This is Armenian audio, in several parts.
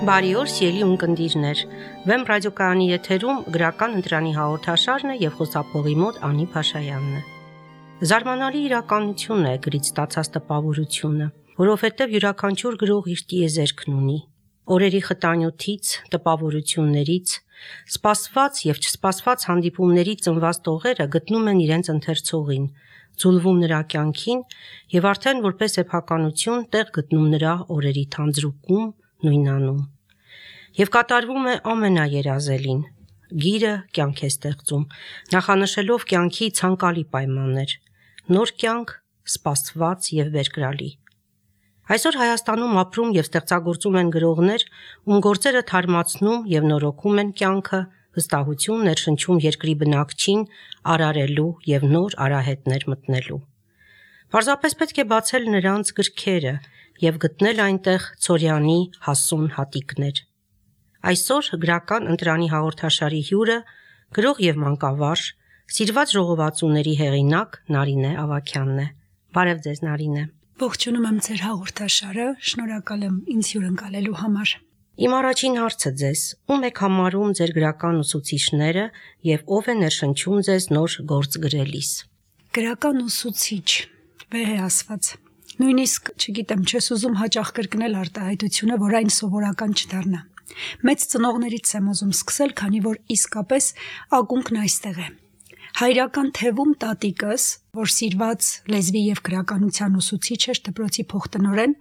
Բարի օր, սիրելի ունկնդիրներ։ Վեմ ռադիոկայանի եթերում գրական ընտրանի հաղորդաշարն է եւ խոսափողի մոտ Անի Փաշայանն է։ Զարմանալի իրականություն է գրից ստացած տպավորությունը, որովհետեւ յուրաքանչյուր գրող իր տիեզերքն ունի։ Օրերի խտանյութից, տպավորություններից, սպասված եւ չսպասված հանդիպումներից ծնված տողերը գտնում են իրենց ընթերցողին, ձուլվում նրա կյանքին եւ արդեն որպես էփականություն տեղ գտնում նրա օրերի թանձրուկում, նույնանում։ Եվ կատարվում է ամենաերազելին։ Գիրը կյանք է ստեղծում, նախանշելով կյանքի ցանկալի պայմաններ, նոր կյանք, սպասված եւ բերկրալի։ Այսօր Հայաստանում ապրում եւ ստեղծագործում են գրողներ, ում գործերը թարմացնում եւ նորոգում են կյանքը, վստահություն ներշնչում երկրի բնակչին արարելու եւ նոր արահետներ մտնելու։ Պարզապես պետք է բացել նրանց գրքերը եւ գտնել այնտեղ Ցորյանի հասուն հատիկներ։ Այսօր գրական ընտրանի հաղորդաշարի հյուրը գրող եւ մանկավարժ, սիրված ժողովածուների հեղինակ Նարինե Ավագյանն է։ Բարև ձեզ, Նարինե։ Ողջունում եմ ձեր հաղորդաշարը, շնորհակալ եմ ինձ հյուրընկալելու համար։ Իմ առաջին հարցը ձեզ, ում եք համարում ձեր գրական ուսուցիչները եւ ով է ներշնչում ձեզ նոր գործ գրելիս։ Գրական ուսուցիչ, վեհ է ասված։ Նույնիսկ, չգիտեմ, չես ուզում հաճախ կրկնել արտահայտությունը, որ այն սովորական չդառնա։ Մեծ ծնողներից եմ ուզում սկսել, քանի որ իսկապես ակունքն այստեղ է։ Հայրական թևում տատիկս, որ սիրված լեզվի եւ գրականության ուսուցիչ էր, դպրոցի փոխտնօրեն,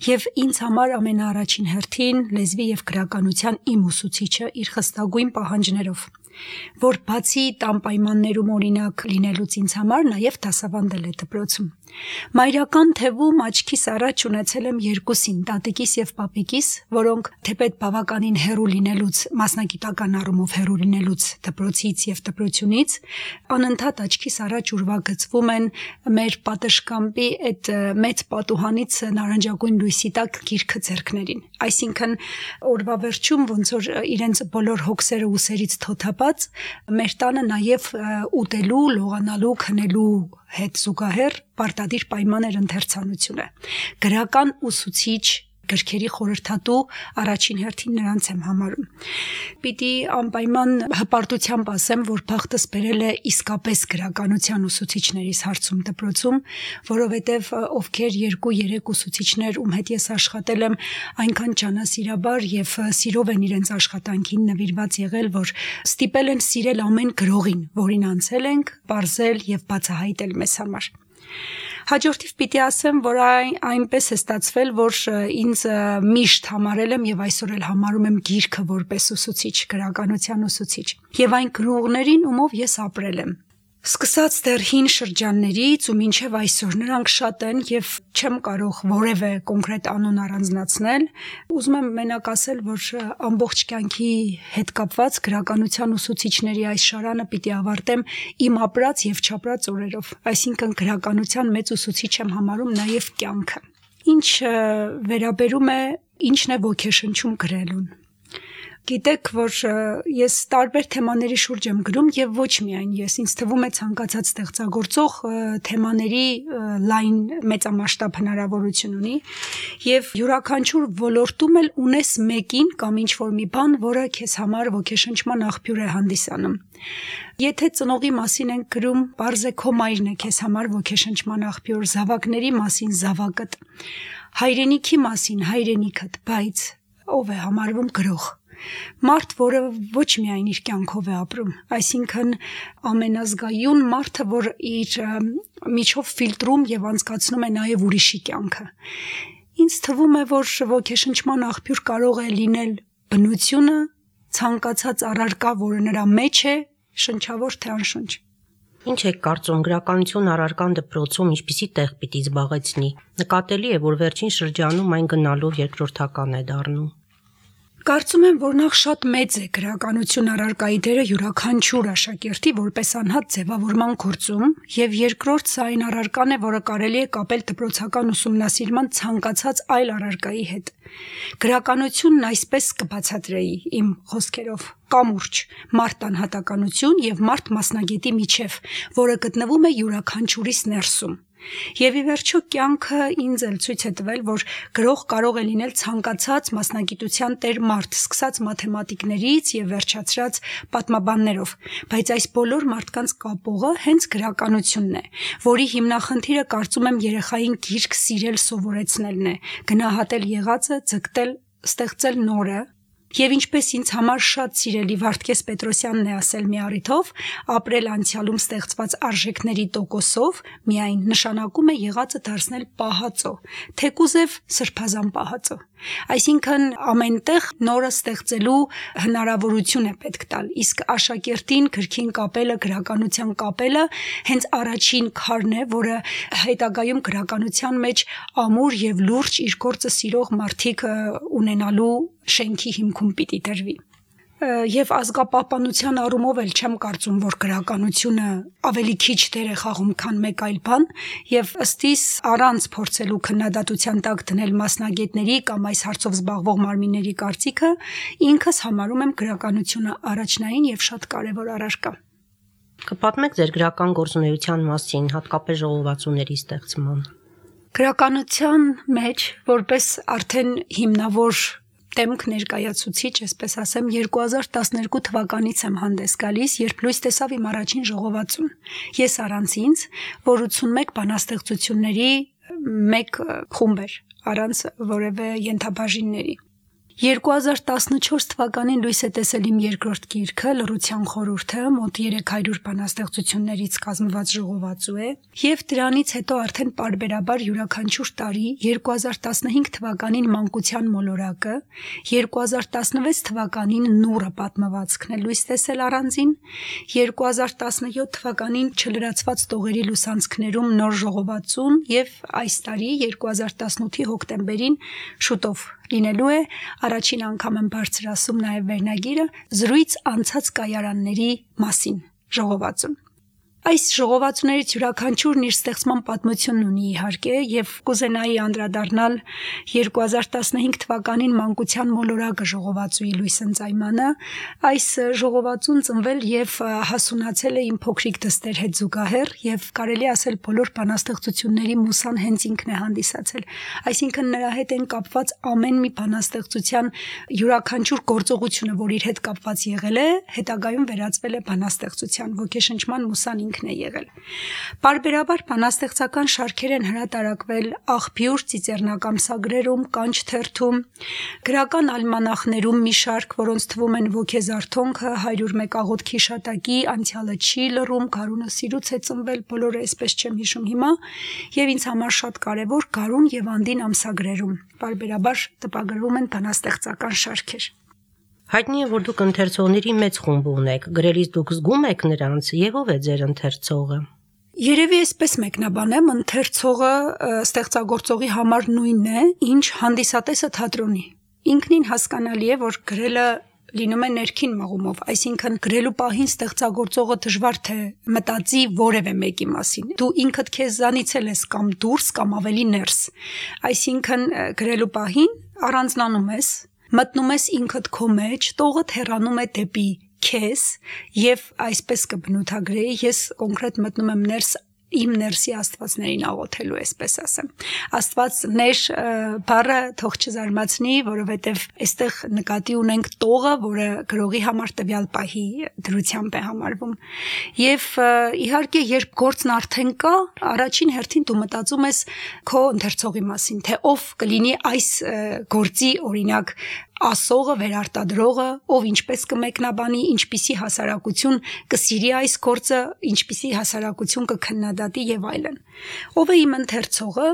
եւ ինձ համար ամենաառաջին հերթին լեզվի եւ գրականության իմ ուսուցիչը իր խստագույն պահանջներով, որ բացի տան պայմաններում օրինակ լինելուց ինձ համար նաեւ դասավանդել է դպրոցում։ Մայրական թևում աչքիս առաջ ունեցել եմ երկուսին, տատիկիս եւ պապիկիս, որոնք թեպետ բավականին հեռու լինելուց, մասնագիտական առումով հեռու լինելուց դպրոցից եւ դպրոցյունից, անընդհատ աչքիս առաջ ուրվագծվում են մեր պատշգամբի այդ մեծ պատուհանից նարնջագույն լույսի տակ գիրքը ձեռքներին։ Այսինքն օրվա վերջում ոնց որ իրենց բոլոր հոգսերը ուսերից թոթափած, մեր տանը նաեւ ուտելու, լողանալու, քնելու հետ զուգահեռ պարտադիր պայման էր ընթերցանությունը։ Գրական ուսուցիչ, գրքերի խորհրդատու առաջին հերթին նրանց եմ համարում։ Պիտի անպայման հպարտությամբ ասեմ, որ բախտս բերել է իսկապես գրականության ուսուցիչներիս հարցում դպրոցում, որովհետև ովքեր 2-3 ուսուցիչներ, ում հետ ես աշխատել եմ, այնքան ջանասիրաբար եւ սիրով են իրենց աշխատանքին նվիրված եղել, որ ստիպել են սիրել ամեն գրողին, որին անցել ենք, պարզել եւ բացահայտել մեզ համար։ Հաջորդիվ պիտի ասեմ, որ այնպես է ստացվել, որ ինձ միշտ համարել եմ եւ այսօր էլ համարում եմ գիրքը որպես ուսուցիչ, գրականության ուսուցիչ, եւ այն գրողներին, ումով ես ապրել եմ։ Սկսած դեռ հին շրջաններից ու մինչև այսօր նրանք շատ են եւ չեմ կարող որևէ կոնկրետ անուն առանձնացնել, ուզում եմ մենակ ասել, որ ամբողջ կյանքի հետ կապված գրականության ուսուցիչների այս շարանը պիտի ավարտեմ իմ ապրած եւ չապրած օրերով, այսինքն գրականության մեծ ուսուցիչ եմ համարում նաեւ կյանքը։ Ինչ վերաբերում է ինչն է ոգեշնչում գրելուն։ Գիտեք, որ ես տարբեր թեմաների շուրջ եմ գրում եւ ոչ միայն ես, ինձ թվում է ցանկացած ստեղծագործող թեմաների լայն մեծամասշտաբ հնարավորություն ունի եւ յուրաքանչյուր ոլորտում էլ ունես մեկին կամ ինչ-որ մի բան, որը քեզ համար ոգեշնչման աղբյուր է հանդիսանում։ Եթե ծնողի մասին ենք գրում, բարձ է քո մայրն է քեզ համար ոգեշնչման աղբյուր, զավակների մասին զավակդ, հայրենիքի մասին հայրենիքդ, բայց ով է համարվում գրող։ Մարդ, որը ոչ միայն իր կյանքով է ապրում, այսինքն ամենազգայուն մարդը, որ իր միջով ֆիլտրում եւ անցկացնում է նաեւ ուրիշի կյանքը։ Ինձ թվում է, որ ոգեշնչման աղբյուր կարող է լինել բնությունը, ցանկացած առարկա, որը նրա մեջ է, շնչավոր թե անշնչ։ Ինչ եք կարծում, գրականություն առարկան դպրոցում ինչպիսի տեղ պիտի զբաղեցնի։ Նկատելի է, որ վերջին շրջանում այն գնալով երկրորդական է դառնում։ Կարծում եմ, որ նախ շատ մեծ է գրականություն առարկայի դերը յուրաքանչյուր աշակերտի որպես անհատ ձևավորման գործում, եւ երկրորդ սա այն առարկան է, որը կարելի է կապել դպրոցական ուսումնասիրման ցանկացած այլ առարկայի հետ։ Գրականությունն այսպես կբացատրեի իմ խոսքերով կամուրջ, մարդ անհատականություն եւ մարդ մասնագետի միջև, որը գտնվում է յուրաքանչյուրիս ներսում։ Եվ ի վերջո կյանքը ինձ էլ ցույց է տվել, որ գրող կարող է լինել ցանկացած մասնագիտության տեր մարդ, սկսած մաթեմատիկներից եւ վերջացրած պատմաբաններով, բայց այս բոլոր մարդկանց կապողը հենց գրականությունն է, որի հիմնախնդիրը կարծում եմ երեխային գիրք սիրել սովորեցնելն է, գնահատել եղածը, ձգտել, ստեղծել նորը։ Եվ ինչպես ինձ համար շատ սիրելի Վարդգես Պետրոսյանն է ասել մի առիթով, ապրել անցյալում ստեղծված արժեքների տոկոսով միայն նշանակում է եղածը դարձնել պահածո, թեկուզև սրբազան պահածո։ Այսինքն ամենտեղ նորը ստեղծելու հնարավորություն է պետք տալ, իսկ աշակերտին գրքին կապելը, գրականության կապելը հենց առաջին քարն է, որը հետագայում գրականության մեջ ամուր եւ լուրջ իր գործը սիրող մարդիկ ունենալու շենքի հիմքում պիտի դրվի։ Եվ ազգապահպանության առումով էլ չեմ կարծում, որ գրականությունը ավելի քիչ դեր է խաղում, քան մեկ այլ բան, եւ ըստիս առանց փորձելու քննադատության տակ դնել մասնագետների կամ այս հարցով զբաղվող մարմինների կարծիքը, ինքս համարում եմ գրականությունը առաջնային եւ շատ կարեւոր առարկա։ Կպատմեք ձեր գրական գործունեության մասին, հատկապես ժողովածուների ստեղծման։ Գրականության մեջ որպես արդեն հիմնավոր Տեմք ներկայացուցիչ, այսպես ասեմ, 2012 թվականից եմ հանդես գալիս, երբ լույս տեսավ իմ առաջին ժողովածուն։ Ես առանց ինձ, որ 81 բանաստեղծությունների մեկ խումբ էր, առանց որևէ ենթաբաժինների։ 2014 թվականին լույս է տեսել իմ երկրորդ գիրքը Լռության խորհուրդը, մոտ 300 բանաստեղծություններից կազմված ժողովածու է, եւ դրանից հետո արդեն պարբերաբար յուրաքանչյուր տարի 2015 թվականին Մանկության մոլորակը, 2016 թվականին Նուրը պատմվածքն է լույս տեսել առանձին, 2017 թվականին Չլրացված տողերի լուսանցքներում նոր ժողովածուն եւ այս տարի 2018-ի հոկտեմբերին շուտով լինելու է առաջին անգամ եմ բարձրացում նաև վերնագիրը զրույց անցած կայարանների մասին ժողովածուն։ Այս ժողովածուներից յուրաքանչյուրն իր ստեղծման պատմությունն ունի իհարկե եւ կուզենայի անդրադառնալ 2015 թվականին Մանկության մոլորակը ժողովածուի լույս ընծայմանը։ Այս ժողովածուն ծնվել եւ հասունացել է իմ փոքրիկ դստեր հետ զուգահեռ եւ կարելի ասել բոլոր բանաստեղծությունների մուսան հենց ինքն է հանդիսացել։ Այսինքն նրա հետ են կապված ամեն մի բանաստեղծության յուրաքանչյուր գործողությունը, որ իր հետ կապված եղել է, հետագայում վերածվել է բանաստեղծության ոգեշնչման մուսան ինքն է եղել։ Պարբերաբար բանաստեղծական շարքեր են հրատարակվել Աղբյուր ծիծեռնակամսագրերում, Կանչ թերթում, գրական ալմանախներում մի շարք, որոնց թվում են Ոգեզարթոնքը, 101 աղոթքի շատակի, Անցյալը չի լռում, Գարունը սիրուց է ծնվել, բոլորը այսպես չեմ հիշում հիմա, եւ ինձ համար շատ կարեւոր Գարուն եւ Անդին ամսագրերում պարբերաբար տպագրվում են բանաստեղծական շարքեր։ Հայտնի է, որ դուք ընթերցողների մեծ խումբ ունեք, գրելիս դուք զգում եք նրանց, եւ ով է ձեր ընթերցողը։ Երևի այսպես մեկնաբանեմ, ընթերցողը ստեղծագործողի համար նույնն է, ինչ հանդիսատեսը թատրոնի։ Ինքնին հասկանալի է, որ գրելը լինում է ներքին մղումով, այսինքն գրելու պահին ստեղծագործողը դժվար թե մտածի որևէ մեկի մասին։ Դու ինքդ քեզանից ես կամ դուրս կամ ավելի ներս։ Այսինքն գրելու պահին առանձնանում ես, մտնում ես ինքդ քո մեջ, տողդ հեռանում է դեպի քեզ եւ այսպես կբնութագրեի, ես կոնկրետ մտնում եմ ներս իմ ներսի աստվածներին աղոթելու, այսպես ասեմ։ Աստվածներ բառը թող չզարմացնի, որովհետև այստեղ նկատի ունենք տողը, որը գրողի համար տվյալ պահի դրությամբ է համարվում։ Եվ իհարկե, երբ գործն արդեն կա, առաջին հերթին դու մտածում ես քո ընթերցողի մասին, թե ով կլինի այս գործի օրինակ ասողը, վերարտադրողը, ով ինչպես կմեկնաբանի, ինչպիսի հասարակություն կսիրի այս գործը, ինչպիսի հասարակություն կքննադատի եւ այլն։ Ով է իմ ընթերցողը։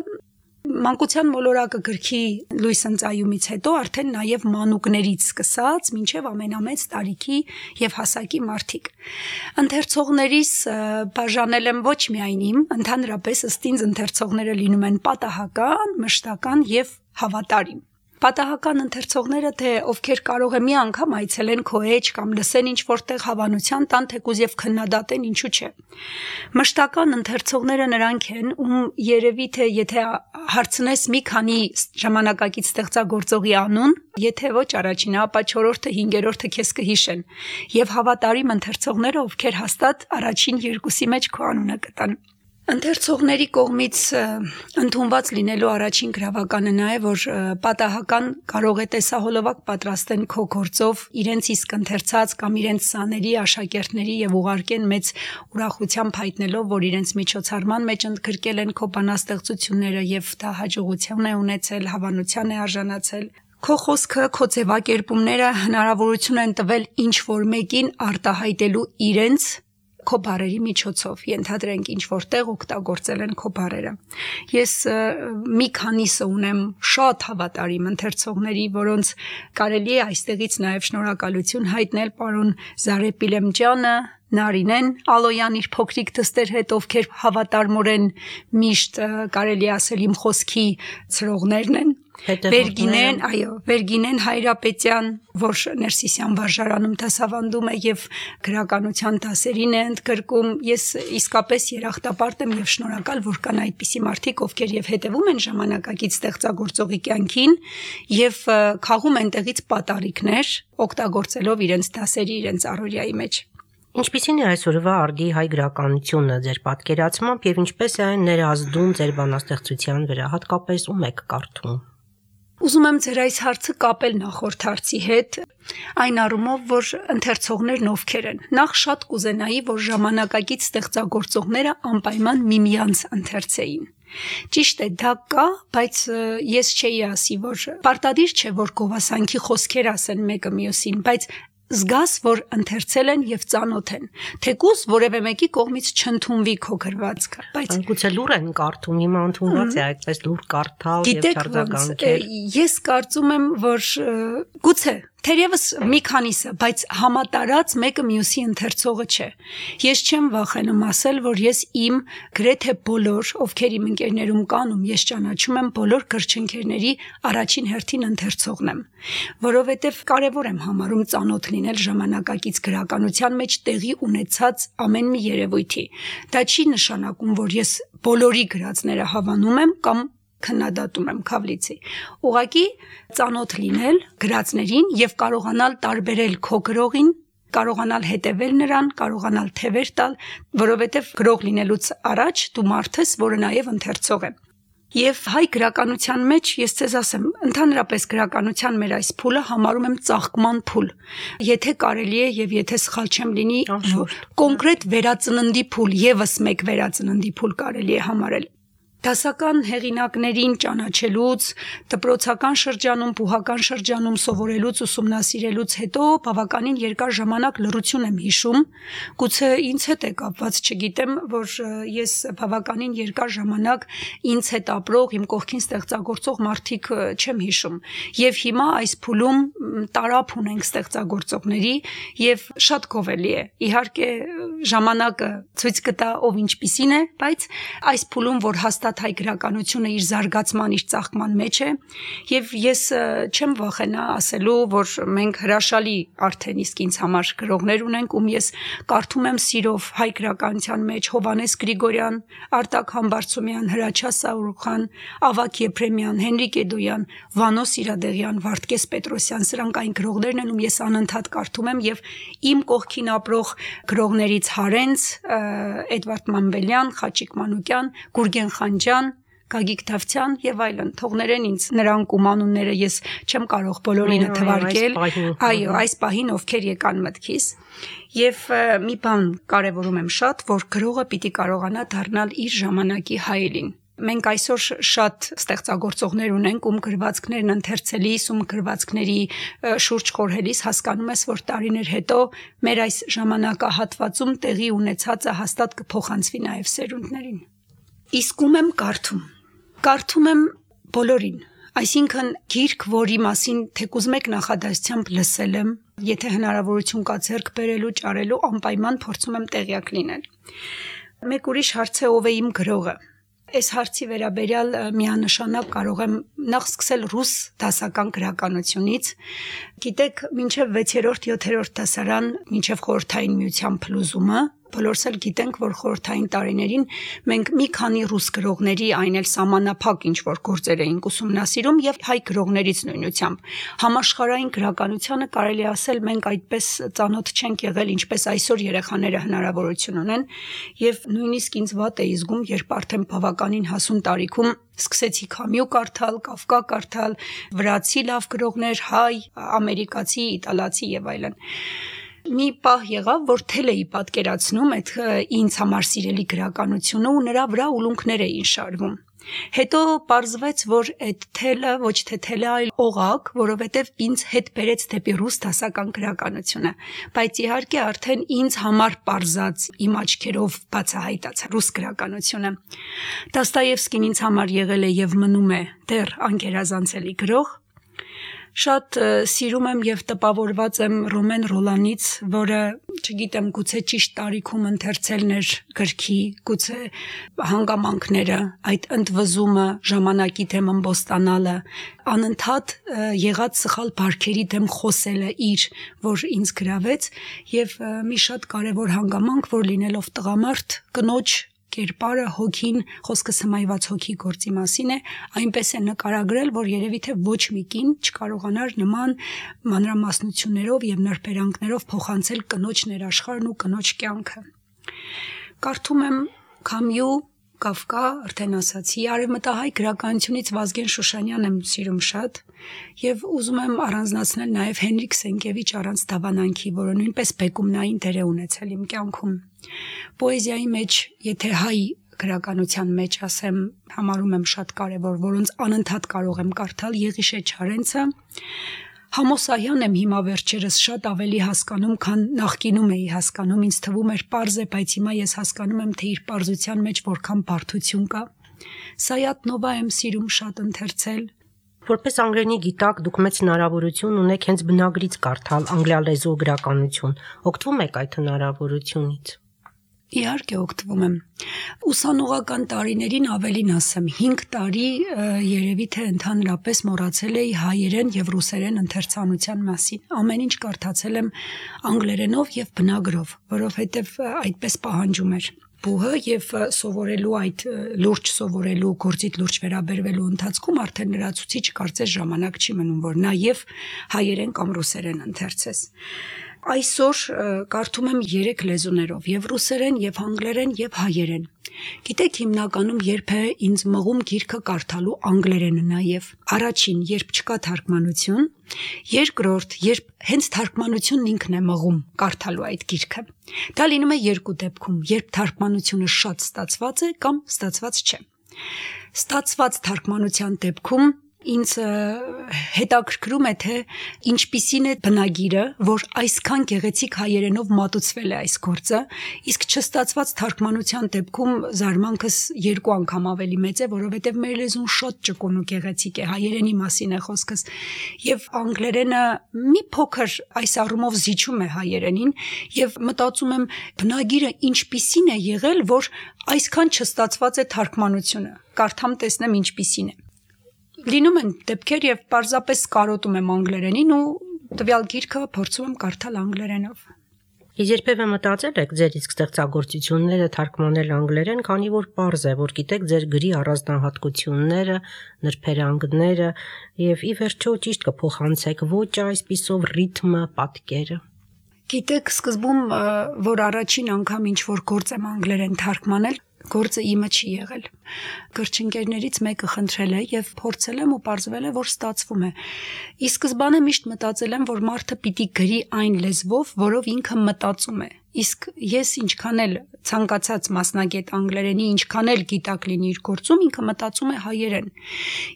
Մանկության մոլորակը գրքի լույս ընծայումից հետո արդեն նաև մանուկներից սկսած մինչև ամենամեծ տարիքի եւ հասակի մարդիկ։ Ընթերցողներիս բաժանել եմ ոչ միայն իմ, ընդհանրապես ըստ ինձ ընթերցողները լինում են պատահական, մշտական եւ հավատարիմ։ Պատահական ընթերցողները, թե ովքեր կարող է մի անգամ այցելեն քո էջ կամ լսեն ինչ որտեղ հավանության տան թեկուզ եւ քննադատեն, ինչու՞ չէ։ Մշտական ընթերցողները նրանք են, ում երևի թե եթե հարցնես մի քանի ժամանակակից ստեղծագործողի անուն, եթե ոչ առաջինը, ապա 4-րդը, 5-րդը քեզ կհիշեն, եւ հավատարիմ ընթերցողները, ովքեր հաստատ առաջին երկուսի մեջ քո անունը կտան։ Ընթերցողների կողմից ընդունված լինելու առաջին գրավականը նա է, որ պատահական կարող է տեսահոլովակ պատրաստեն քո գործով իրենց իսկ ընթերցած կամ իրենց սաների աշակերտների եւ ուղարկեն մեծ ուրախությամբ հայտնելով, որ իրենց միջոցառման մեջ ընդգրկել են քո բանաստեղծությունները եւ դա հաջողություն է ունեցել, հավանության է արժանացել։ Քո խոսքը, քո ձևակերպումները հնարավորություն են տվել ինչ որ մեկին արտահայտելու իրենց քո բարերի միջոցով, ենթադրենք ինչ որտեղ օգտագործել են քո բարերը։ Ես մի քանիսը ունեմ շատ հավատարիմ ընթերցողների, որոնց կարելի է այստեղից նաև շնորհակալություն հայտնել պարոն Զարեպիլեմջյանը, Նարինեն Ալոյան իր փոքրիկ դստեր հետ, ովքեր հավատարմորեն միշտ կարելի ասել իմ խոսքի ցրողներն են։ Վերգինեն Հայրապետյան, որ Ներսիսյան վարժարանում դասավանդում է եւ գրականության դասերին է ընդգրկում։ Ես իսկապես երախտապարտ եմ եւ շնորհակալ, որ կան այդպիսի մարդիկ, ովքեր եւ հետեւում են ժամանակակից ստեղծագործողի կյանքին եւ քաղում են տեղից պատառիկներ, օգտագործելով իրենց դասերի, իրենց առօրյայի մեջ։ Ինչպիսին է այսօրվա արդի հայ գրականությունը ձեր պատկերացմամբ եւ ինչպես է այն ներազդում ձեր բանաստեղծության վրա, հատկապես ում եք կարդում։ Ուզում եմ ձեր այս հարցը կապել նախորդ հարցի հետ, այն առումով, որ ընթերցողներն ովքեր են։ Նախ շատ կուզենայի, որ ժամանակակից ստեղծագործողները անպայման միմյանց ընթերցեին։ Ճիշտ է, դա կա, բայց ես չէի ասի, որ պարտադիր չէ, որ գովասանքի խոսքեր ասեն մեկը մյուսին, բայց զգաս, որ ընթերցել են եւ ծանոթ են, թեկուզ որևէ մեկի կողմից չընդունվի քո գրվածքը, բայց գուցե լուր են կարդում, հիմա ընդունված է այդպես լուր կարդալ եւ չարձագանքել։ Ես կարծում եմ, որ գուցե թերևս մի քանիսը, բայց համատարած մեկը մյուսի ընթերցողը չէ։ Ես չեմ վախենում ասել, որ ես իմ գրեթե բոլոր, ովքեր իմ ընկերներում կան, ում ես ճանաչում եմ, բոլոր գրչընկերների առաջին հերթին ընթերցողն եմ, որովհետև կարևոր եմ համարում ծանոթ լինել ժամանակակից գրականության մեջ տեղի ունեցած ամեն մի երևույթի։ Դա չի նշանակում, որ ես բոլորի գրածները հավանում եմ կամ քննադատում եմ Քավլիցի։ Ուղղակի ծանոթ լինել գրածներին եւ կարողանալ տարբերել քո գրողին, կարողանալ հետևել նրան, կարողանալ թևեր տալ, որովհետեւ գրող լինելուց առաջ դու մարդ ես, որը նաեւ ընթերցող է։ Եվ հայ գրականության մեջ ես ցեզ ասեմ, ընդհանրապես գրականության մեր այս փուլը համարում եմ ծաղկման փուլ։ Եթե կարելի է եւ եթե սխալ չեմ լինի, կոնկրետ վերածննդի փուլ, եւս մեկ վերածննդի փուլ կարելի է համարել։ Դասական հեղինակներին ճանաչելուց, դպրոցական շրջանում, բուհական շրջանում սովորելուց, ուսումնասիրելուց հետո բավականին երկար ժամանակ լռություն եմ հիշում, գուցե ինձ հետ է կապված, չգիտեմ, որ ես բավականին երկար ժամանակ ինձ հետ ապրող, իմ կողքին ստեղծագործող մարդիկ չեմ հիշում։ Եվ հիմա այս փուլում տարափ ունենք ստեղծագործողների եւ շատ գովելի է։ Իհարկե ժամանակը ցույց կտա ով ինչպիսին է, բայց այս փուլում, որ հաստատ հայ գրականությունը իր զարգացման, իր ծաղկման մեջ է, եւ ես չեմ վախենա ասելու, որ մենք հրաշալի արդեն իսկ ինձ համար գրողներ ունենք, ում ես կարդում եմ սիրով հայ գրականության մեջ Հովանես Գրիգորյան, Արտակ Համբարձումյան, Հրաչյա Սաուրխան, Ավագ Եփրեմյան, Հենրիկ Էդոյան, Վանո Սիրադեղյան, Վարդգես Պետրոսյան, սրանք այն գրողներն են, ում ես անընդհատ կարդում եմ եւ իմ կողքին ապրող գրողներից Հարենց, Էդվարդ Մանվելյան, Խաչիկ Մանուկյան, Գուրգեն Խանջյան, Գագիկ Դավթյան եւ այլն, թողներեն ինձ նրանք ում անունները ես չեմ կարող բոլորինը թվարկել, այո, այս պահին ովքեր եկան մտքիս։ Եվ մի բան կարևորում եմ շատ, որ գրողը պիտի կարողանա դառնալ իր ժամանակի հայելին։ Մենք այսօր շատ ստեղծագործողներ ունենք, ում գրվածքներն ընթերցելիս, ում գրվածքների շուրջ խորհելիս հասկանում ես, որ տարիներ հետո մեր այս ժամանակահատվածում տեղի ունեցածը հաստատ կփոխանցվի նաև սերունդներին։ Իսկ ում եմ կարդում։ Կարդում եմ բոլորին, այսինքն գիրք, որի մասին թեկուզ մեկ նախադասությամբ լսել եմ, եթե հնարավորություն կա ձեռք բերելու, ճարելու, անպայման փորձում եմ տեղյակ լինել։ Մեկ ուրիշ հարց է, ով է իմ գրողը։ Այս հարցի վերաբերյալ միանշանակ կարող եմ նախ սկսել ռուս դասական գրականությունից։ Գիտեք, մինչև 6-րդ, 7-րդ դասարան, մինչև խորհրդային միության փլուզումը, Բոլորս էլ գիտենք, որ խորհրդային տարիներին մենք մի քանի ռուս գրողների, այն էլ սահմանափակ ինչ-որ գործեր էինք ուսումնասիրում եւ հայ գրողներից նույնությամբ։ Համաշխարհային գրականությանը կարելի ասել մենք այդպես ծանոթ չենք եղել, ինչպես այսօր երեխաները հնարավորություն ունեն, եւ նույնիսկ ինձ վատ է զգում, երբ արդեն բավականին հասուն տարիքում սկսեցի Քամյու կարդալ, Կաֆկա կարդալ, վրացի լավ գրողներ, հայ, ամերիկացի, իտալացի եւ այլն։ Մի պահ եղավ, որ թել էի պատկերացնում այդ ինձ համար սիրելի գրականությունը ու նրա վրա ուլունքներ էին շարվում։ Հետո պարզվեց, որ այդ թելը ոչ թե թելը, այլ օղակ, որովհետև ինձ հետ բերեց դեպի ռուս դասական գրականությունը, բայց իհարկե արդեն ինձ համար պարզած իմ աչքերով բացահայտած ռուս գրականությունը։ Դոստոևսկին ինձ համար եղել է եւ մնում է դեռ անկերազանցելի գրող։ Շատ սիրում եմ եւ տպավորված եմ Ռոմեն Ռոլանից, որը, չգիտեմ, գուցե ճիշտ տարիքում ընթերցելն էր գրքի, գուցե հանգամանքները, այդ ընդվզումը, ժամանակի դեմ ըմբոստանալը, անընդհատ եղած սխալ բարքերի դեմ խոսելը իր, որ ինձ գրավեց, եւ մի շատ կարեւոր հանգամանք, որ լինելով տղամարդ, կնոջ կերպարը, հոգին, խոսքս հմայված հոգի գործի մասին է, այնպես է նկարագրել, որ երևի թե ոչ մի կին չկարողանար նման մանրամասնություններով եւ նրբերանգներով փոխանցել կնոջ ներաշխարհն ու կնոջ կյանքը։ Կարդում եմ Քամյու, Կաֆկա, արդեն ասացի, արևմտահայ գրականությունից Վազգեն Շուշանյան եմ սիրում շատ եւ ուզում եմ առանձնացնել նաեւ Հենրիկ Սենկևիչ առանց դավանանքի, որը նույնպես բեկումնային դեր է ունեցել իմ կյանքում։ Պոեզիայի մեջ, եթե հայ գրականության մեջ ասեմ, համարում եմ շատ կարևոր, որոնց անընդհատ կարող եմ կարդալ Եղիշե Չարենցը, Համոսահյան եմ հիմա վերջերս շատ ավելի հասկանում, քան նախկինում էի հասկանում, ինձ թվում էր պարզ է, բայց հիմա ես հասկանում եմ, թե իր պարզության մեջ որքան բարդություն կա։ Սայաթ Նովա եմ սիրում շատ ընթերցել։ Որպես անգլերենի գիտակ դուք մեծ հնարավորություն ունեք հենց բնագրից կարդալ անգլիալեզու գրականություն։ Օգտվում եք այդ հնարավորությունից։ Իհարկե օգտվում եմ։ Ուսանողական տարիներին ավելին ասեմ, 5 տարի երևի թե ընդհանրապես մոռացել էի հայերեն եւ ռուսերեն ընթերցանության մասին։ Ամեն ինչ կարդացել եմ անգլերենով եւ բնագրով, որովհետեւ այդպես պահանջում էր բուհը եւ սովորելու այդ լուրջ սովորելու գործիդ լուրջ վերաբերվելու ընթացքում արդեն լրացուցիչ կարծես ժամանակ չի մնում, որ նաեւ հայերեն կամ ռուսերեն ընթերցես։ Այսօր կարդում եմ 3 լեզուներով՝ եւ ռուսերեն, եւ անգլերեն, եւ հայերեն։ Գիտեք, հիմնականում երբ է ինձ մղում գիրքը կարդալու անգլերենը նաեւ։ Առաջին, երբ չկա թարգմանություն, երկրորդ, երբ հենց թարգմանությունն ինքն է մղում կարդալու այդ գիրքը։ Դա լինում է երկու դեպքում, երբ թարգմանությունը շատ ստացված է կամ ստացված չէ։ Ստացված թարգմանության դեպքում ինձ հետաքրքրում է, թե ինչպիսին է բնագիրը, որ այսքան գեղեցիկ հայերենով մատուցվել է այս գործը, իսկ չստացված թարգմանության դեպքում զարմանքս 2 անգամ ավելի մեծ է, որովհետև մեր լեզուն շատ ճկուն ու գեղեցիկ է, հայերենի մասին է խոսքս, եւ անգլերենը մի փոքր այս առումով զիջում է հայերենին, եւ մտածում եմ բնագիրը ինչպիսին է եղել, որ այսքան չստացված է թարգմանությունը, կարդամ տեսնեմ ինչպիսին է։ Լինում են դեպքեր եւ պարզապես կարոտում եմ անգլերենին ու տվյալ գիրքը փորձում եմ կարդալ անգլերենով։ Իսկ երբևէ մտածել եք ձեր իսկ ստեղծագործությունները թարգմանել անգլերեն, քանի որ պարզ է, որ գիտեք ձեր գրի առանձնահատկությունները, նրբերանգները եւ ի վերջո ճիշտ կփոխանցեք ոչ այսպիսով ռիթմը, պատկերը։ Գիտեք, սկզբում որ առաջին անգամ ինչ որ գործ եմ անգլերեն թարգմանել, գործը իմը չի եղել։ Գրչընկերներից մեկը խնդրել է եւ փորձել եմ ու պարզվել է, որ ստացվում է։ Ի սկզբանե միշտ մտածել եմ, որ մարդը պիտի գրի այն լեզվով, որով ինքը մտածում է։ Իսկ ես ինչքան էլ ցանկացած մասնագետ անգլերենի, ինչքան էլ գիտակ լինի իր գործում, ինքը մտածում է հայերեն։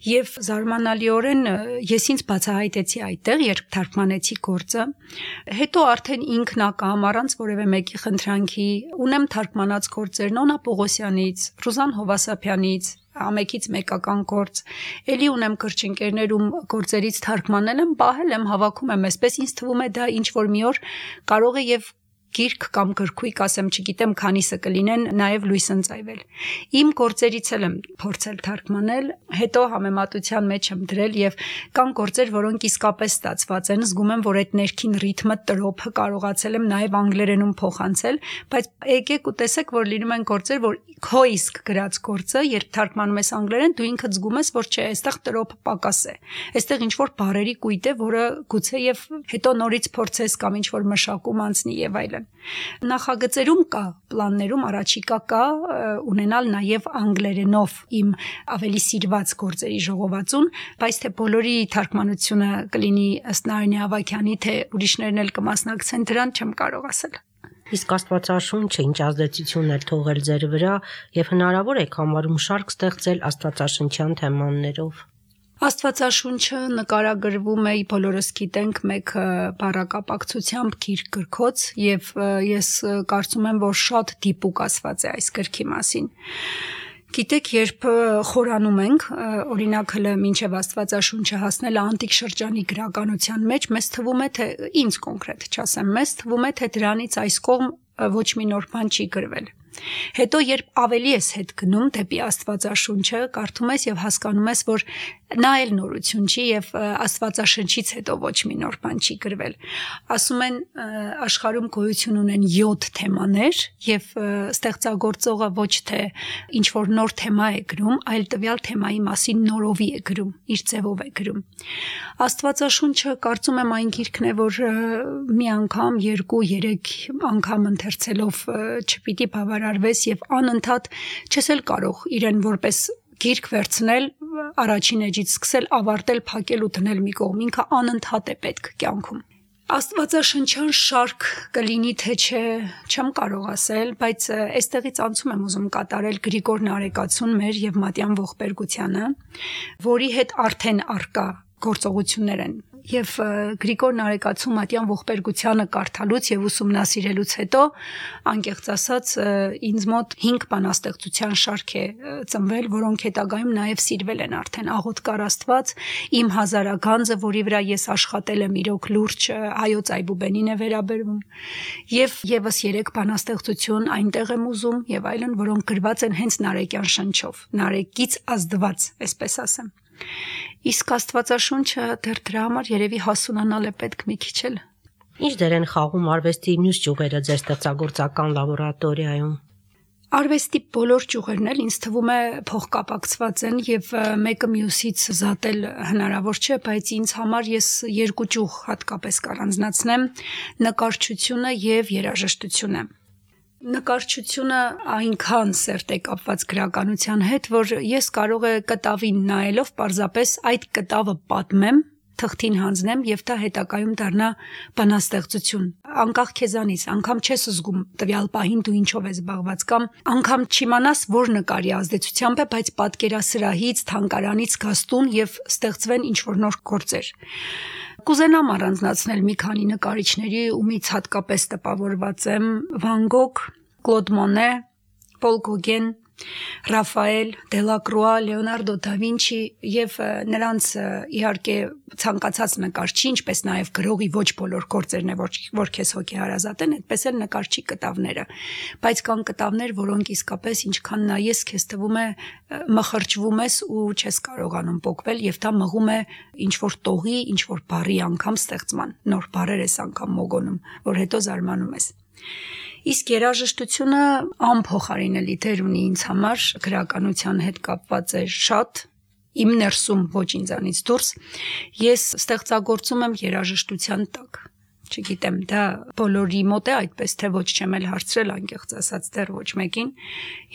Եվ զարմանալիորեն ես ինձ բացահայտեցի այդտեղ, երբ թարգմանեցի գործը, հետո արդեն ինքնակամ առանց որևէ մեկի խնդրանքի ունեմ թարգմանած գործեր Նոնա Պողոսյանից, Ռուզան Հովասափյանից, ամեկից մեկական գործ, էլի ունեմ գրչընկերներում գործերից թարգմանել եմ, պահել եմ, հավաքում եմ, այսպես ինձ թվում է դա ինչ որ մի օր կարող է եւ գիրք կամ գրքույկ, ասեմ, չգիտեմ, քանիսը կլինեն նաև լույս ընծայվել։ Իմ գործերից էլ եմ փորձել թարգմանել, հետո համեմատության մեջ եմ դրել եւ կան գործեր, որոնք իսկապես ստացված են, զգում եմ, որ այդ ներքին ռիթմը, տրոփը կարողացել եմ նաև անգլերենում փոխանցել, բայց եկեք ու տեսեք, որ լինում են գործեր, որ քո իսկ գրած գործը, երբ թարգմանում ես անգլերեն, դու ինքդ զգում ես, որ չէ, այստեղ տրոփը պակաս է։ Այստեղ ինչ որ բառերի կույտ է, որը գուցե եւ հետո նորից փորձես կամ ինչ որ մշակում անցնի եւ այլն։ Նախագծերում կա, պլաններում առաջիկա կա ունենալ նաև անգլերենով իմ ավելի սիրված գործերի ժողովածուն, բայց թե բոլորի թարգմանությունը կլինի ըստ Նարինե Ավագյանի, թե ուրիշներն էլ կմասնակցեն դրան, չեմ կարող ասել։ Իսկ Աստվածաշունչը ինչ ազդեցություն է թողել ձեր վրա եւ հնարավոր է համարում շարք ստեղծել աստվածաշնչյան թեմաներով։ Աստվածաշունչը նկարագրվում է, բոլորս գիտենք, մեկ բառակապակցությամբ գիրք գրքոց եւ ես կարծում եմ, որ շատ դիպուկ ասված է այս գրքի մասին։ Գիտեք, երբ խորանում ենք, օրինակ հələ մինչև Աստվածաշունչը հասնել անտիկ շրջանի գրականության մեջ, մեզ թվում է, թե ինձ կոնկրետ չասեմ, մեզ թվում է, թե դրանից այս կողմ ոչ մի նոր բան չի գրվել։ Հետո երբ ավելի ես հետ գնում դեպի Աստվածաշունչը, կարդում ես եւ հասկանում ես, որ նա էլ նորություն չի եւ Աստվածաշնչից հետո ոչ մի նոր բան չի գրվել։ Ասում են աշխարհում գոյություն ունեն 7 թեմաներ եւ ստեղծագործողը ոչ թե ինչ որ նոր թեմա է գրում, այլ տվյալ թեմայի մասին նորովի է գրում, իր ձևով է գրում։ Աստվածաշունչը կարծում եմ այն գիրքն է, որ մի անգամ, 2-3 անգամ ընթերցելով չպիտի բավարարվես եւ անընդհատ չես էլ կարող իրեն որպես գիրք վերցնել, առաջին էջից սկսել, ավարտել, փակել ու դնել մի կողմ, ինքը անընդհատ է պետք կյանքում։ Աստվածաշնչյան շարք կլինի թե չէ, չեմ կարող ասել, բայց այստեղից անցում եմ ուզում կատարել Գրիգոր Նարեկացուն մեր եւ Մատյան Ողբերգությանը, որի հետ արդեն արկա գործողություններ են։ Եվ Գրիգոր Նարեկացու Մատյան Ողբերգությանը կարդալուց եւ ուսումնասիրելուց հետո, անկեղծ ասած, ինձ մոտ 5 բանաստեղծության շարք է ծնվել, որոնք հետագայում նաեւ սիրվել են արդեն աղոթքար Աստված, իմ հազարագանձը, որի վրա ես աշխատել եմ, իրոք լուրջ Հայոց Այբուբենին է վերաբերվում, եւ եւս 3 բանաստեղծություն այնտեղ եմ ուզում եւ այլն, որոնք գրված են հենց նարեկյան շնչով, նարեկից ազդված, այսպես ասեմ։ Իսկ Աստվածաշունչը դեռ դրա համար երևի հասունանալ է պետք մի քիչ էլ։ Ինչ դեր են խաղում արվեստի մյուս ճյուղերը ձեր ստեղծագործական լաբորատորիայում։ Արվեստի բոլոր ճյուղերն էլ ինձ թվում է փոխկապակցված են եւ մեկը մյուսից զատել հնարավոր չէ, բայց ինձ համար ես 2 ճյուղ հատկապես կառանձնացնեմ՝ նկարչությունը եւ երաժշտությունը։ Նկարչությունը այնքան սերտ է կապված գրականության հետ, որ ես կարող է կտավին նայելով պարզապես այդ կտավը պատմեմ, թղթին հանձնեմ եւ դա հետագայում դառնա բանաստեղծություն։ Անկախ քեզանից, անգամ չես զգում տվյալ պահին դու ինչով ես զբաղված կամ անգամ չիմանաս որ նկարի ազդեցությամբ է, բայց պատկերասրահից, թանգարանից գաստուն եւ ստեղծվեն ինչ որ նոր գործեր։ Կուզենամ առանձնացնել մի քանի նկարիչների, ումից հատկապես տպավորված եմ՝ Վան Գոգ, Կլոդ Մոնե, Պոլ Գոգեն, Ռաֆայել, Դելակրուա, Լեոնարդո դա Վինչի եւ նրանց իհարկե ցանկացած նկարչի, ինչպես նաեւ գրողի ոչ բոլոր գործերն է որ քեզ հոգեհարազատ են, այդպես էլ նկարչի կտավները, բայց կան կտավներ, որոնք իսկապես ինչքան նայես քեզ թվում է մխրճվում ես ու չես կարողանում փոկվել եւ դա մղում է ինչ որ տողի, ինչ որ բառի անգամ ստեղծման, նոր բառեր ես անգամ մոգոնում, որ հետո զարմանում ես։ Իսկ երաժշտությունը անփոխարինելի դեր ունի ինձ համար, գրականության հետ կապված է շատ, իմ ներսում ոչ ինձանից դուրս, ես ստեղծագործում եմ երաժշտության տակ, չգիտեմ, դա բոլորի մոտ է այդպես, թե ոչ չեմ էլ հարցրել, անկեղծ ասած դեռ ոչ մեկին,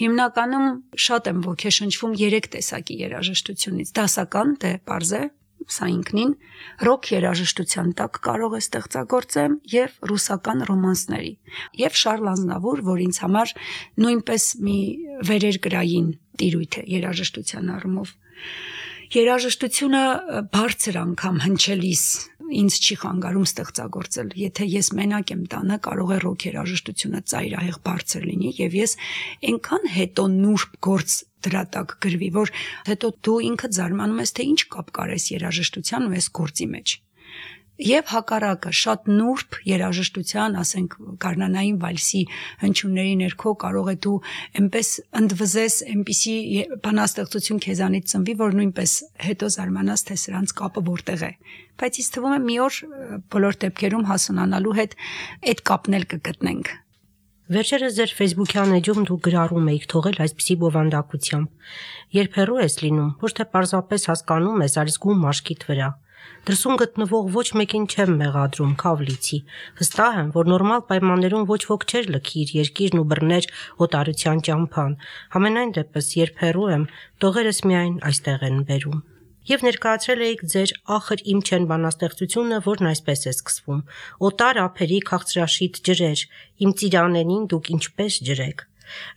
հիմնականում շատ եմ ոգեշնչվում 3 տեսակի երաժշտությունից, դասական, դե պարզ է, սա ինքնին, ռոք երաժշտության տակ կարող է ստեղծագործեմ եւ ռուսական ռոմանսների եւ Շարլ Ազնավուր, որ ինձ համար նույնպես մի վերերկրային տիրույթ է երաժշտության առումով։ Երաժշտությունը բարձր անգամ հնչելիս ինձ չի խանգարում ստեղծագործել։ Եթե ես մենակ եմ տանը, կարող է ռոք երաժշտությունը ծայրահեղ բարձր լինի եւ ես այնքան հետո նուրբ գործ դրա տակ գրվի, որ հետո դու ինքդ զարմանում ես, թե ինչ կապ կար այս երաժշտության ու այս գործի մեջ։ Եվ հակառակը շատ նուրբ երաժշտության, ասենք գարնանային վալսի հնչյունների ներքո կարող է դու այնպես ընդվզես, այնպիսի բանաստեղծություն քեզանից ծնվի, որ նույնպես հետո զարմանաս, թե սրանց կապը որտեղ է։ Բայց ինձ թվում է մի օր բոլոր դեպքերում հասունանալու հետ այդ կապն էլ կգտնենք։ Վերջերս ձեր Facebook-յան էջում դուք գրառում եք թողել այսպիսի բովանդակությամբ։ Երբ հեռու ես լինում, ոչ թե պարզապես հասկանում ես, այլ զգում մաշկիդ վրա։ Դրսում գտնվող ոչ մեկին չեմ մեղադրում, քավլիցի։ Վստահ եմ, որ նորմալ պայմաններում ոչ ոք չէր լքի իր երկիրն ու բռներ օտարության ճամփան։ Համենայն դեպս, երբ հեռու եմ, տողերս միայն այստեղ են բերում։ Եվ ներկայացրել էիք ձեր ախր իմ չեն բանաստեղծությունը, որն այսպես է սկսվում. օտար ափերի քաղցրաշիտ ջրեր, իմ ծիրանենին դուք ինչպես ջրեք։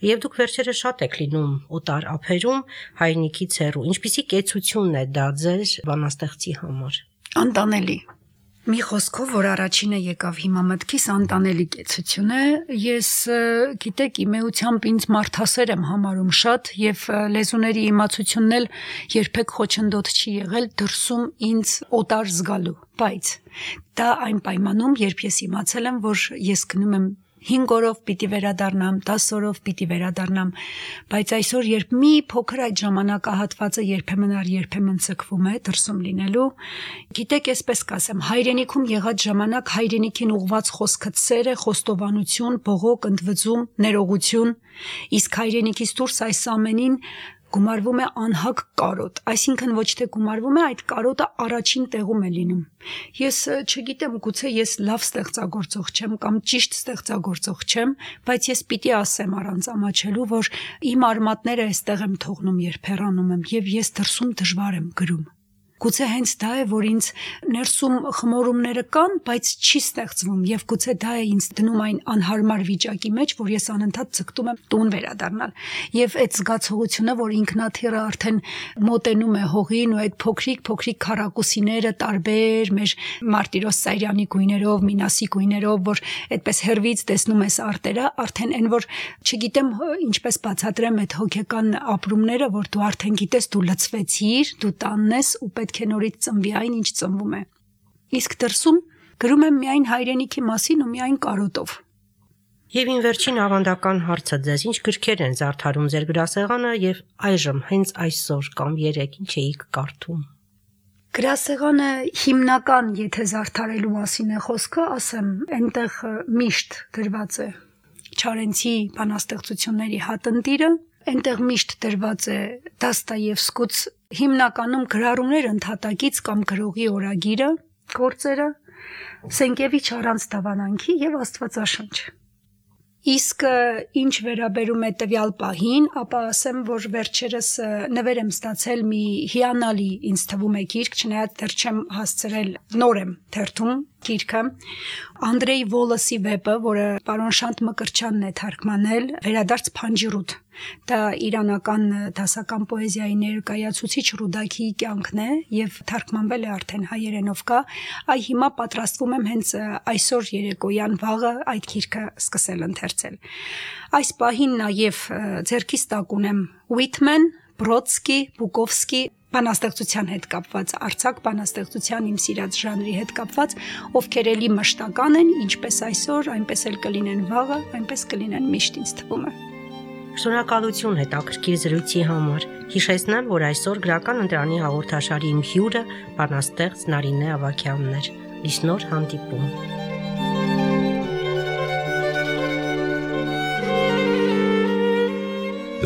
Եվ դուք վերջերս շատ եք լինում օտար ափերում, հայրենիքից հեռու։ Ինչպիսի կեցություն է դա ձեր բանաստեղծի համար։ Անտանելի։ Մի խոսքով, որ առաջինը եկավ հիմա մտքիս, անտանելի կեցություն է։ Ես, գիտեք, իմ էությամբ ինձ մարդասեր եմ համարում շատ եւ լեզուների իմացությունն էլ երբեք խոչընդոտ չի եղել դրսում ինձ օտար զգալու, բայց դա այն պայմանում, երբ ես իմացել եմ, որ ես գնում եմ 5 օրով պիտի վերադառնամ, 10 օրով պիտի վերադառնամ, բայց այսօր երբ մի փոքր այդ ժամանակահատվածը երբեմն ցկվում է դրսում լինելու, գիտեք, այսպես կասեմ, հայրենիքում եղած ժամանակ հայրենիքին ուղված խոսքը սեր է, խոստովանություն, բողոք, ընդվզում, ներողություն, իսկ հայրենիքից դուրս այս ամենին գումարվում է անհակ կարոտ, այսինքն ոչ թե գումարվում է, այդ կարոտը առաջին տեղում է լինում։ Ես չգիտեմ, գուցե ես լավ ստեղծագործող չեմ կամ ճիշտ ստեղծագործող չեմ, բայց ես պիտի ասեմ առանց ամաչելու, որ իմ արմատները այստեղ եմ թողնում, երբ հեռանում եմ, եւ ես դրսում դժվար եմ գրում։ Գուցե հենց դա է, որ ինձ ներսում խմորումները կան, բայց չի ստեղծվում եւ գուցե դա է ինձ դնում այն անհարմար վիճակի մեջ, որ ես անընդհատ ցկտում եմ տուն վերադառնալ։ Եվ այդ զգացողությունը, որ ինքնաթիռը արդեն մոտենում է հողին ու այդ փոքրիկ քառակուսիները տարբեր մեր Մարտիրոս Սարյանի գույներով, Մինասի գույներով, որ այդպես հերվից տեսնում ես արտերը, արդեն այն որ չգիտեմ ինչպես բացատրեմ այդ հոգեկան ապրումները, որ դու արդեն գիտես դու լցվեցիր, դու տանն ես ու պետք է նորից ծնվի այն, ինչ ծնվում է։ Իսկ դրսում գրում եմ միայն հայրենիքի մասին ու միայն կարոտով։ Եվ ին վերջին ավանդական հարցը ձեզ, ինչ գրքեր են զարդարում ձեր գրասեղանը եւ այժմ հենց այսօր կամ երեկ ինչ էիք կարդում։ Գրասեղանը հիմնական, եթե զարդարելու մասին է խոսքը, ասեմ, այնտեղ միշտ գրված է Չարենցի բանաստեղծությունների հատնտիրը, այնտեղ միշտ դրված է Դոստոևսկուց հիմնականում գրառումներ ընդհատակից կամ գրողի օրագիրը, գործերը, Սենկևիչ առանց դավանանքի եւ Աստվածաշունչ։ Իսկ ինչ վերաբերում է տվյալ պահին, ապա ասեմ, որ վերջերս նվեր եմ ստացել մի հիանալի ինձ թվում է գիրք, չնայած դեռ չեմ հասցրել, նոր եմ թերթում գիրքը, Անդրեյ Վոլոսի վեպը, որը պարոն Շանթ Մկրտչյանն է թարգմանել, Վերադարձ Փանջիրուտ։ Դա իրանական դասական պոեզիայի ներկայացուցիչ Ռուդակիի կյանքն է եւ թարգմանվել է արդեն հայերենով կա։ Այ հիմա պատրաստվում եմ հենց այսօր երեկոյան վաղը այդ գիրքը սկսել ընթերցել։ Այս պահին նաեւ ձեռքիս տակ ունեմ Whitman, Բրոդսկի, Բուկովսկի բանաստեղծության հետ կապված, արձակ բանաստեղծության իմ սիրած ժանրի հետ կապված, ովքեր էլի մշտական են, ինչպես այսօր, այնպես էլ կլինեն վաղը, այնպես կլինեն միշտ ինձ թվում է։ Շնորհակալություն հետաքրքիր զրույցի համար։ Հիշեցնեմ, որ այսօր գրական ընտրանի հաղորդաշարի իմ հյուրը բանաստեղծ Նարինե Ավագյանն էր։ Լիսնոր հանդիպում։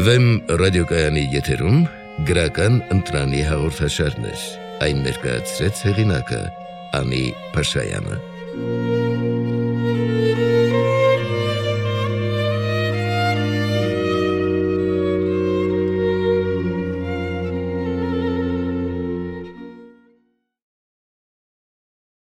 Վեմ ռադիոկայանի եթերում գրական ընտրանի հաղորդաշարներ։ Այն ներկայացրեց հեղինակը Անի Փաշայանը։